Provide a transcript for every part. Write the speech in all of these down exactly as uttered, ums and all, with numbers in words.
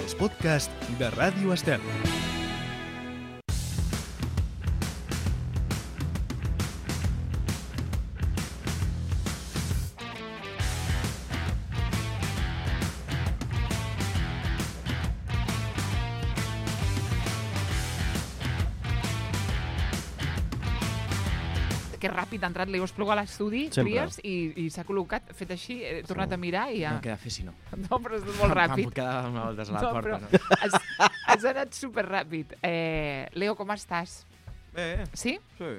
els podcasts de Ràdio Estel. Que ràpid ha entrat l'Eo Espluga a l'estudi, Trias, i, i s'ha col·locat, fet així, he tornat sí. a mirar i ja... No queda fer si no. No, però és molt ràpid. Em puc quedar una voltes a la no, porta, però no? Has, has anat superràpid. Eh, Leo, com estàs? Bé. Sí? Sí.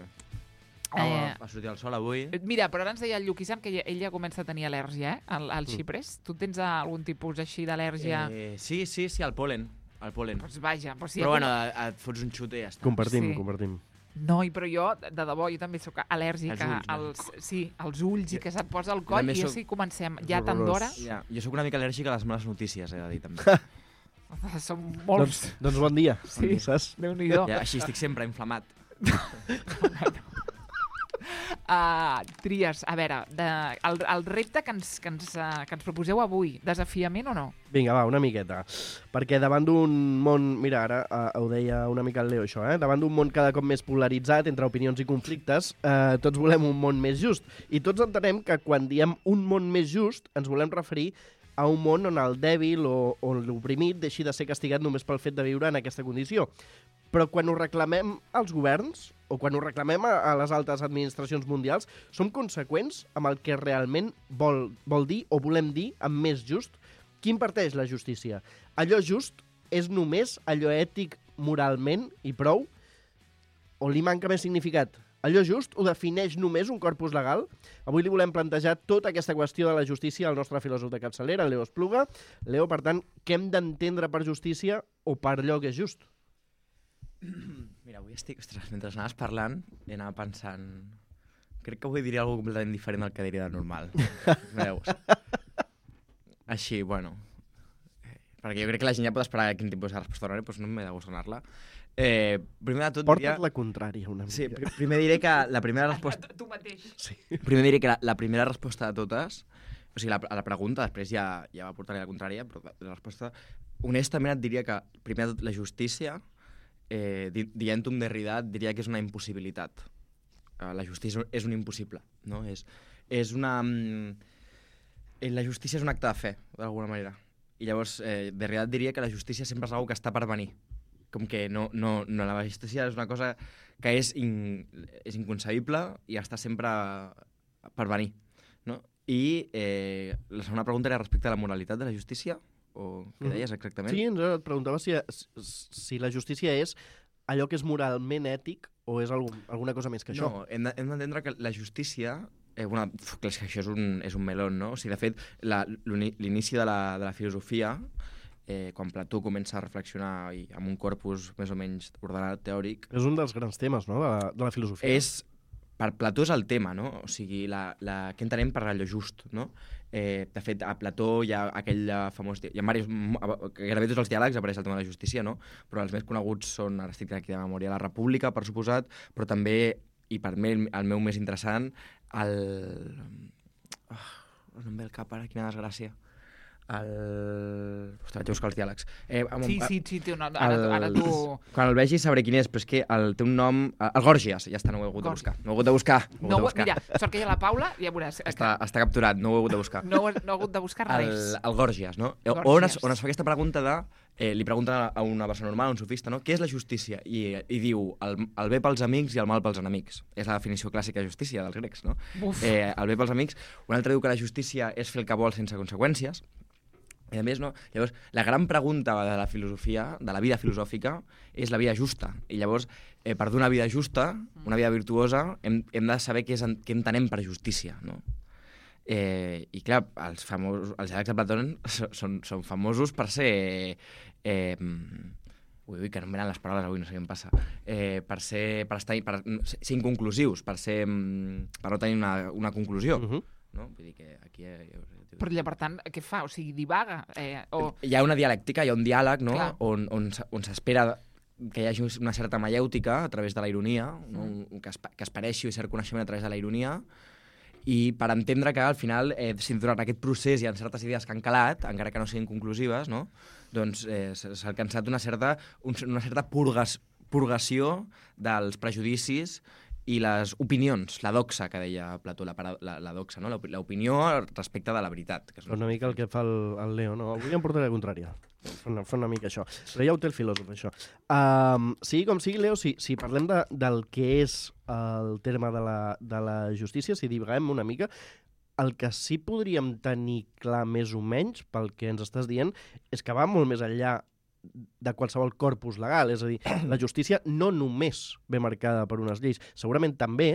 Eh, Va sortir el sol avui. Mira, però ara ens deia el Lluquisam que ell ja comença a tenir al·lèrgia, eh? Al, al xipres. Tu tens algun tipus així d'al·lèrgia? Eh, sí, sí, sí, al polen. Al polen. Pues vaja. Pues si però ha... bueno, et fots un xut i ja està. Compartim, Sí. compartim. No, però jo, de debò, jo també sóc al·lèrgica Els ulls, no? als, sí, als ulls i que se't posa el coll i soc- així comencem. Ja tant d'hora. Ja, jo sóc una mica al·lèrgic a les males notícies, he de dir, també. Som Doncs, molts. doncs bon dia, Sí. saps? Déu-n'hi-do. Ja, així estic sempre inflamat. Uh, Trias, a veure, de, el, el repte que ens, que, ens, uh, que ens proposeu avui, desafiament o no? Vinga, va, una miqueta. Perquè davant d'un món... Mira, ara uh, ho deia una mica el Leo, això, eh? Davant d'un món cada cop més polaritzat entre opinions i conflictes, uh, tots volem un món més just. I tots entenem que quan diem un món més just, ens volem referir a un món on el dèbil o, o l'oprimit deixi de ser castigat només pel fet de viure en aquesta condició. Però quan ho reclamem als governs, o quan ho reclamem a, a les altes administracions mundials, som conseqüents amb el que realment vol, vol dir o volem dir amb més just? Qui imparteix la justícia? Allò just és només allò ètic moralment i prou? O li manca més significat? Allò just ho defineix només un corpus legal? Avui li volem plantejar tota aquesta qüestió de la justícia al nostre filòsof de capçalera, el Leo Espluga. Leo, per tant, què hem d'entendre per justícia o per allò que és just? Mira, avui estic... Ostres, mentre anaves parlant, he anat pensant... Crec que avui diria alguna cosa completament diferent del que diria de normal. Veus? Així, bueno... Perquè jo crec que la gent ja pot esperar quin tipus de resposta donaré, doncs no m'he de gust donar-la. Eh, primer de tot Porta't diria... la contrària una mica. Sí, pr primer diré que la primera resposta... Tu mateix. Sí. Primer diré que la, la primera resposta de totes... O sigui, la, a la pregunta, després ja, ja va portar-hi la contrària, però la resposta... Honestament et diria que, primer de tot, la justícia... Eh, di dient-ho amb Derrida, diria que és una impossibilitat. Eh, la justícia és un impossible, no? És, és una... Eh, la justícia és un acte de fe, d'alguna manera. I llavors, eh, Derrida diria que la justícia sempre és una que està per venir. Com que no, no, no, la justícia és una cosa que és, in, és inconcebible i està sempre per venir, no? I eh, la segona pregunta era respecte a la moralitat de la justícia, o què deies exactament? Sí, ens et preguntava si, si la justícia és allò que és moralment ètic o és algun, alguna cosa més que això. No, hem d'entendre que la justícia... Eh, bueno, clar, és que això és un, és un melón, no? O sigui, de fet, l'inici de, la, de la filosofia, eh, quan Plató comença a reflexionar i amb un corpus més o menys ordenat, teòric... És un dels grans temes, no?, de la, de la filosofia. És... Per Plató és el tema, no? O sigui, la, la, què entenem per allò just, no? Eh, de fet, a Plató hi ha aquell famós... Hi ha diversos, gairebé tots els diàlegs apareix el tema de la justícia, no? Però els més coneguts són, ara estic aquí de memòria, la República, per suposat, però també, i per mi el meu més interessant, el... Oh, no em ve el cap ara, quina desgràcia. El... Ostres, vaig a buscar els diàlegs. Eh, amb, Sí, sí, sí, té un nom. Ara, ara tu... Quan el vegi sabré quin és, però és que el, té un nom... El Gòrgies, ja està, no ho he hagut de buscar. No ho he hagut de buscar. No, No, de buscar. mira, sort que hi ha la Paula, ja veuràs. Està, està capturat, no ho he hagut de buscar. No, no he hagut de buscar El, res. el Gòrgies, no? Gòrgies. On es, on es fa aquesta pregunta de... Eh, li pregunta a una persona normal, a un sofista, no? Què és la justícia? I, i diu el, el bé pels amics i el mal pels enemics. És la definició clàssica de justícia dels grecs, no? Eh, el bé pels amics. Un altre diu que la justícia és fer el que vol sense conseqüències. I a més, no? Llavors, la gran pregunta de la filosofia, de la vida filosòfica, és la vida justa. I llavors, eh, per donar una vida justa, una vida virtuosa, hem, hem de saber què, és, què entenem per justícia, no? Eh, I clar, els, famosos, els diàlegs de Plató són, són famosos per ser... Eh, ui, ui, que no em venen les paraules avui, no sé què em passa. Eh, per ser, per estar, per ser inconclusius, per, ser, per no tenir una, una conclusió. Uh -huh. No? Vull dir que aquí... Eh, Però, per tant, què fa? O sigui, divaga? Eh, o... Hi ha una dialèctica, hi ha un diàleg, no? Clar. on, on, on s'espera que hi hagi una certa maièutica a través de la ironia, no? Mm. que, es, que es pareixi cert coneixement a través de la ironia, i per entendre que al final, eh, si durant aquest procés hi ha certes idees que han calat, encara que no siguin conclusives, no? Doncs eh, s'ha alcançat una certa, un, una certa purgas, purgació dels prejudicis i les opinions, la doxa que deia Plató, la, la, la doxa, no? L'opinió respecte de la veritat. Que és una mica el que fa el, el Leo, no? Avui em portaré la contrària. Fa una, fa una mica això. Però ja ho té el filòsof, això. Um, sigui com sigui, Leo, si, si parlem de, del que és el terme de la, de la justícia, si divaguem una mica, el que sí podríem tenir clar més o menys, pel que ens estàs dient, és que va molt més enllà de qualsevol corpus legal. És a dir, la justícia no només ve marcada per unes lleis. Segurament també,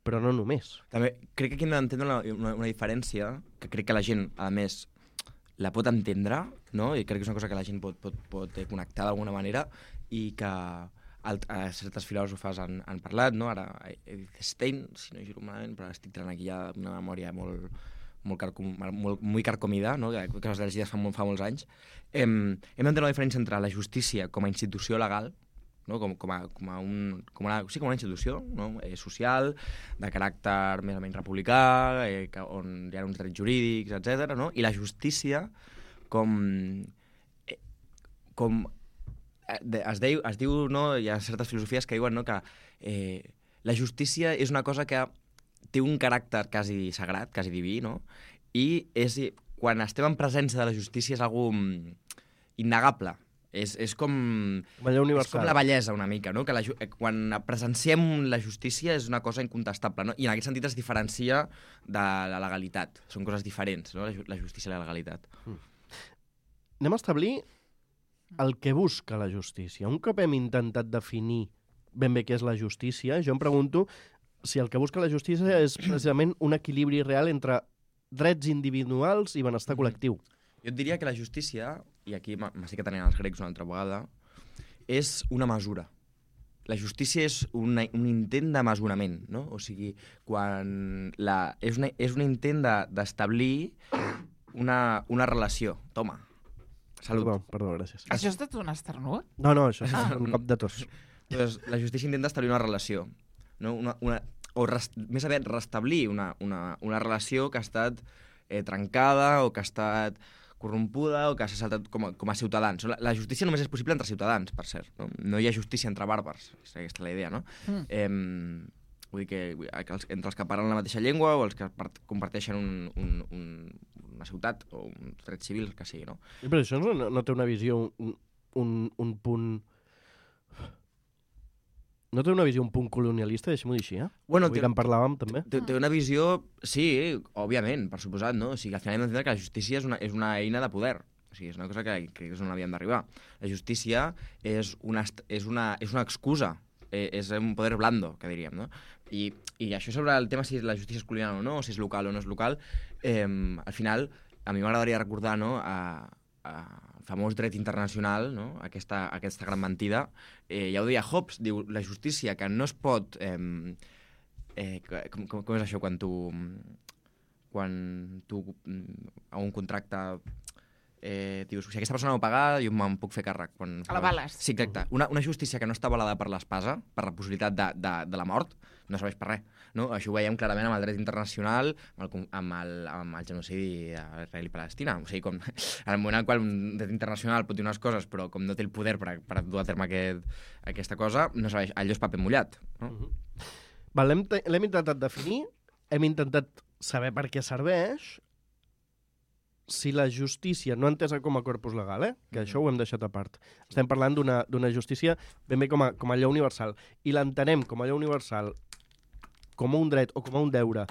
però no només. També crec que aquí hem d'entendre una, una, una diferència, que crec que la gent, a més, la pot entendre, no? I crec que és una cosa que la gent pot, pot, pot connectar d'alguna manera i que alt, eh, certes filòsofes han, han parlat, no? Ara, Edith Stein, si no giro malament, però estic tenint aquí ja una memòria molt... molt, carcom, molt, molt carcomida, no? que, que les llegides fa, fa molts anys, hem, hem d'entendre la diferència entre la justícia com a institució legal, no? com, com, a, com, a un, com, una, sí, com una institució, no? eh, social, de caràcter més o menys republicà, eh, que, on hi ha uns drets jurídics, etcètera, no? I la justícia com... Eh, com eh, es, deia, es diu, no? Hi ha certes filosofies que diuen, no? que eh, la justícia és una cosa que té un caràcter quasi sagrat, quasi diví, no? I és, quan estem en presència de la justícia és algo innegable. És, és, com, és com la bellesa, una mica, no? Que la, quan presenciem la justícia és una cosa incontestable, no? I en aquest sentit es diferencia de la legalitat. Són coses diferents, no? La justícia i la legalitat. Mm. Anem a establir el que busca la justícia. Un cop hem intentat definir ben bé què és la justícia, jo em pregunto si el que busca la justícia és precisament un equilibri real entre drets individuals i benestar col·lectiu. Jo et diria que la justícia, i aquí m'estic atenent als grecs una altra vegada, és una mesura. La justícia és una, un intent de mesurament, no? O sigui, quan la, és, una, és un intent d'establir una, una relació. Toma, salut. Perdó, perdó, gràcies. Això és de un esternut? No, no, això és ah. un cop de tos. Doncs la justícia intenta establir una relació, no? Una, una, o rest, més aviat restablir una, una, una relació que ha estat eh, trencada o que ha estat corrompuda o que s'ha saltat com a, com a ciutadans. La, la justícia només és possible entre ciutadans, per cert. No, no hi ha justícia entre bàrbars, és aquesta la idea, no? Mm. Eh, vull dir que els, entre els que parlen la mateixa llengua o els que part, comparteixen un, un, un, una ciutat o un dret civil, que sigui, no? I però això no, no té una visió, un, un, un punt... No té una visió un punt colonialista, deixem-ho dir així, eh? Bueno, Avui que en parlàvem, també. Té, té una visió, sí, òbviament, per suposat, no? O sigui, al final hem d'entendre que la justícia és una, és una eina de poder. O sigui, és una cosa que, que és on havíem d'arribar. La justícia és una, és una, és una excusa, eh, és un poder blando, que diríem, no? I, I això sobre el tema si la justícia és colonial o no, o si és local o no és local, eh, al final, a mi m'agradaria recordar, no?, a, a famós dret internacional, no? aquesta, aquesta gran mentida, eh, ja ho deia Hobbes, diu, la justícia que no es pot... Eh, eh, com, com, com és això quan tu... Quan tu a un contracte eh, dius, si aquesta persona no paga, jo me'n puc fer càrrec. Quan, a la bales. Sí, exacte. Una, una justícia que no està avalada per l'espasa, per la possibilitat de, de, de la mort, no serveix per res. No? Això ho veiem clarament amb el dret internacional, amb el, amb el, amb el genocidi a Israel i Palestina. O sigui, com, en el moment en el qual un dret internacional pot dir unes coses, però com no té el poder per, per dur a terme aquest, aquesta cosa, no serveix. Allò és paper mullat. No? Uh -huh. Val, l'hem intentat definir, hem intentat saber per què serveix. Si la justícia, no entesa com a corpus legal, eh? que això ho hem deixat a part, estem parlant d'una justícia ben bé com a, com a allò universal, i l'entenem com a allò universal com a un dret o com a un deure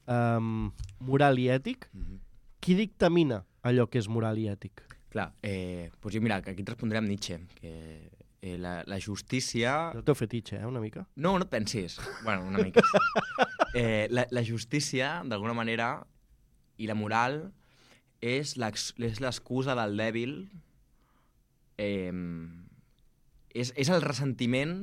um, moral i ètic, mm-hmm. Qui dictamina allò que és moral i ètic? Clar, eh, doncs jo, mira, aquí et respondré amb Nietzsche, que eh, la, la justícia... No t'ho fetitxe, eh, una mica? No, no et pensis. Bueno, una mica. eh, la, la justícia, d'alguna manera, i la moral... és l'excusa del dèbil, eh, és, és el ressentiment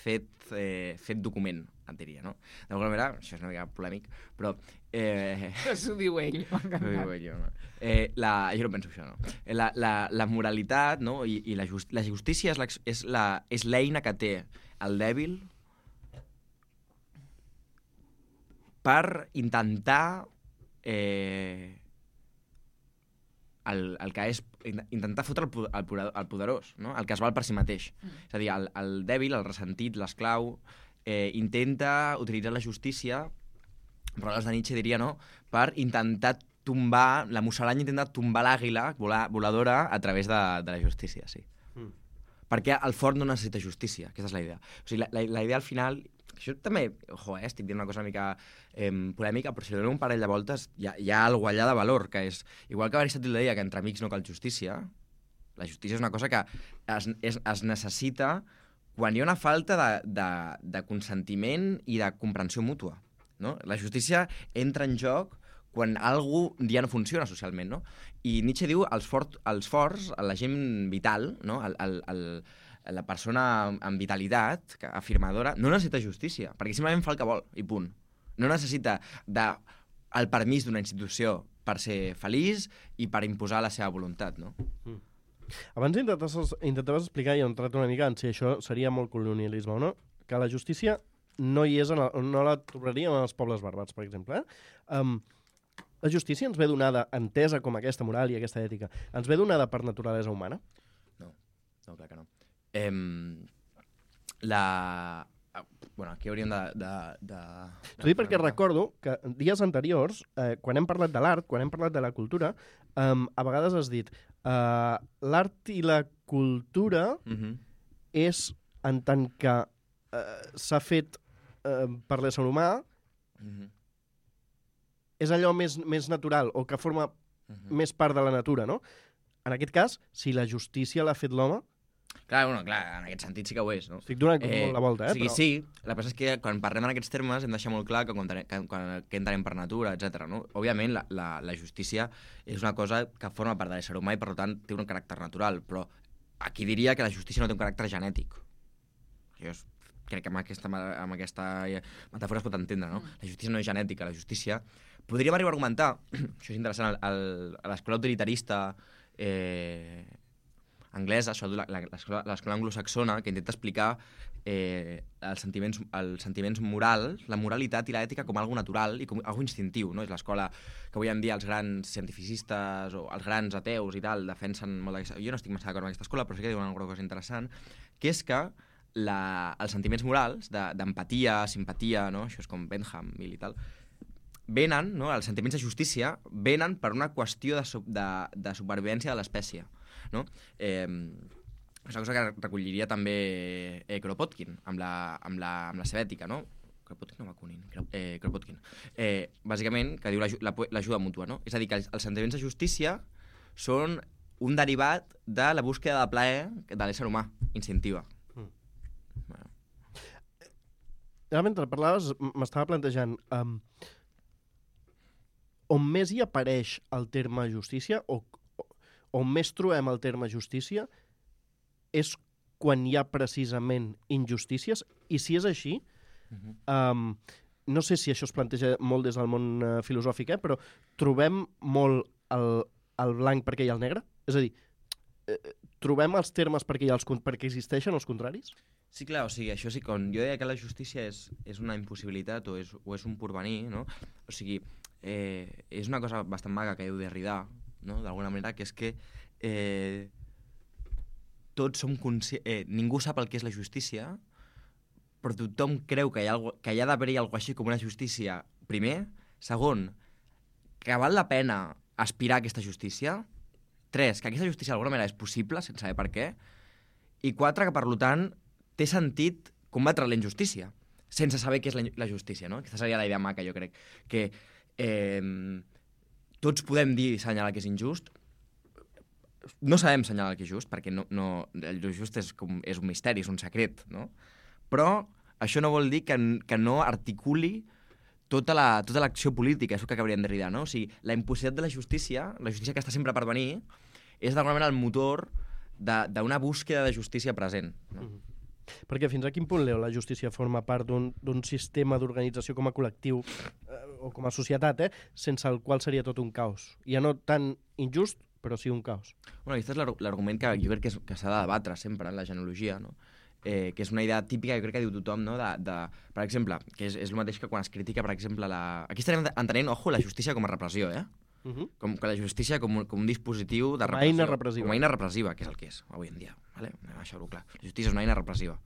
fet, eh, fet document, et diria, no? D'alguna manera, això és una mica polèmic, però... Eh, això ho diu ell, m'ha encantat. Ho diu ell, no? Eh, la, jo no penso això, no? La, la, la moralitat, no? I, i la, just, la justícia és l'eina que té el dèbil per intentar eh, el, el que és intentar fotre el, el, el poderós, no? El que es val per si mateix. Mm. És a dir, el, el dèbil, el ressentit, l'esclau, eh, intenta utilitzar la justícia, però els de Nietzsche diria, no?, per intentar tombar, la musaranya intenta tombar l'àguila voladora a través de, de la justícia, sí. Mm. Perquè el fort no necessita justícia, aquesta és la idea. O sigui, la, la, la idea al final... Això també, ojo, eh, estic dient una cosa una mica eh, polèmica, però si li donem un parell de voltes hi ha, hi ha alguna allà de valor, que és, igual que Aristòtil deia que entre amics no cal justícia, la justícia és una cosa que es, es, es necessita quan hi ha una falta de, de, de consentiment i de comprensió mútua, no? La justícia entra en joc quan algú ja no funciona socialment, no? I Nietzsche diu els, fort, els forts, la gent vital, no? el, el, el, la persona amb vitalitat, afirmadora, no necessita justícia, perquè simplement fa el que vol, i punt. No necessita de, el permís d'una institució per ser feliç i per imposar la seva voluntat, no? Mm. Abans intentaves, intentaves explicar, i he entrat una mica en si això seria molt colonialisme o no, que la justícia no hi és, en el, no la trobaríem en els pobles bàrbars, per exemple. Eh? Um, la justícia ens ve donada, entesa com aquesta moral i aquesta ètica, ens ve donada per naturalesa humana? No, no, clar que no. Eh, la... Bueno, aquí hauríem de... de, de... T'ho dic perquè recordo que dies anteriors, eh, quan hem parlat de l'art, quan hem parlat de la cultura, eh, a vegades has dit eh, l'art i la cultura uh-huh. és en tant que eh, s'ha fet eh, per l'ésser humà, uh-huh. és allò més, més natural o que forma uh-huh. més part de la natura, no? En aquest cas, si la justícia l'ha fet l'home, clar, bueno, clar, en aquest sentit sí que ho és, no? Estic donant eh, molt la volta, eh? O sigui, però... sí, la cosa és que quan parlem en aquests termes hem de deixar molt clar que, quan, que, quan, que entenem per natura, etcètera. No? Òbviament, la, la, la justícia és una cosa que forma part de l'ésser humà i, per tant, té un caràcter natural, però aquí diria que la justícia no té un caràcter genètic. Jo crec que amb aquesta, amb aquesta metàfora es pot entendre, no? La justícia no és genètica, la justícia... Podríem arribar a argumentar, això és interessant, el, el, a l'escola utilitarista... Eh, anglesa, això, l'escola anglosaxona, que intenta explicar eh, els, sentiments, els sentiments morals, la moralitat i l'ètica com algo natural i com algo instintiu, no? És l'escola que avui en dia els grans cientificistes o els grans ateus i tal defensen molt d'aquesta... Jo no estic massa d'acord amb aquesta escola, però sí que diuen alguna cosa interessant, que és que la, els sentiments morals d'empatia, de, simpatia, no? Això és com Bentham i tal, venen, no? Els sentiments de justícia venen per una qüestió de, de, de supervivència de l'espècie. No? Eh, és una cosa que recolliria també eh, Kropotkin amb la, amb, la, amb la seva ètica, no? Kropotkin o Bakunin? Eh, Kropotkin. Eh, bàsicament, que diu l'ajuda mútua, no? És a dir, que els, els sentiments de justícia són un derivat de la búsqueda de plaer de l'ésser humà, instintiva. Mm. Bueno. Ara, mentre parlaves, m'estava plantejant um, on més hi apareix el terme justícia o on més trobem el terme justícia és quan hi ha precisament injustícies, i si és així, uh-huh. um, no sé si això es planteja molt des del món uh, filosòfic, eh, però trobem molt el, el blanc perquè hi ha el negre? És a dir, eh, trobem els termes perquè, hi ha els, perquè existeixen els contraris? Sí, clar, o sigui, això sí, quan jo deia que la justícia és, és una impossibilitat o és, o és un porvenir, no? O sigui, eh, és una cosa bastant maga que diu Derrida, no? D'alguna manera, que és que eh, tots som conscients... Eh, ningú sap el que és la justícia, però tothom creu que hi ha, que hi ha d'haver-hi alguna cosa així com una justícia, primer. Segon, que val la pena aspirar a aquesta justícia. Tres, que aquesta justícia d'alguna manera és possible, sense saber per què. I quatre, que per tant té sentit combatre la injustícia, sense saber què és la, la justícia, no? Aquesta seria la idea maca, jo crec. Que... Eh, tots podem dir assenyalar que és injust. No sabem assenyalar que és just, perquè no, no, el just és, com, és un misteri, és un secret, no? Però això no vol dir que, que no articuli tota la, tota l'acció política, és el que acabaríem de Derrida, no? O sigui, la impossibilitat de la justícia, la justícia que està sempre per venir, és d'alguna manera el motor d'una búsqueda de justícia present, no? Mm-hmm. Perquè fins a quin punt, Leo, la justícia forma part d'un sistema d'organització com a col·lectiu eh, o com a societat, eh, sense el qual seria tot un caos? Ja no tan injust, però sí un caos. Bueno, aquest és l'argument que jo crec que s'ha de debatre sempre en la genealogia, no? eh, que és una idea típica, jo crec que diu tothom, no? de, de, per exemple, que és, és el mateix que quan es critica, per exemple, la... Aquí estarem entenent, ojo, la justícia com a repressió, eh? Uh -huh. Com que la justícia com, un- com un dispositiu de Com a repressió. eina repressiva. Com a eina repressiva, que és el que és avui en dia. Vale? Anem a deixar-ho clar. La justícia és una eina repressiva.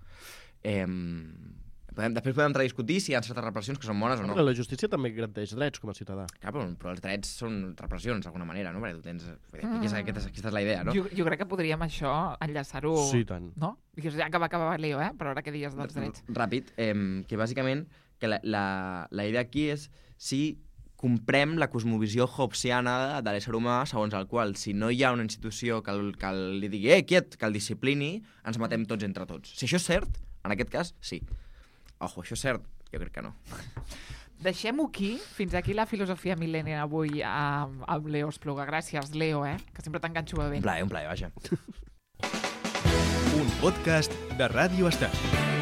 Eh, podem, després podem entrar a discutir si hi ha certes repressions que són bones o no. Però la justícia també garanteix drets com a ciutadà. Clar, però, però els drets són repressions, d'alguna manera, no? Perquè tu tens... Mm. Aquesta, aquesta, aquesta és la idea, no? Jo, jo crec que podríem això enllaçar-ho... Sí, tant. No? Digues, ja que va acabar Leo, eh? Però ara que dies dels drets. Ràpid, eh, que bàsicament que la, la, la idea aquí és si comprem la cosmovisió hobbesiana de l'ésser humà, segons el qual, si no hi ha una institució que, el, que el, li digui eh, quiet, que el disciplini, ens matem tots entre tots. Si això és cert, en aquest cas, sí. Ojo, això és cert? Jo crec que no. Deixem-ho aquí. Fins aquí la filosofia mil·lennial avui amb, amb Leo Espluga. Gràcies, Leo, eh? Que sempre t'enganxo bé. Un plaer, un plaer, vaja. Un podcast de Ràdio Estat.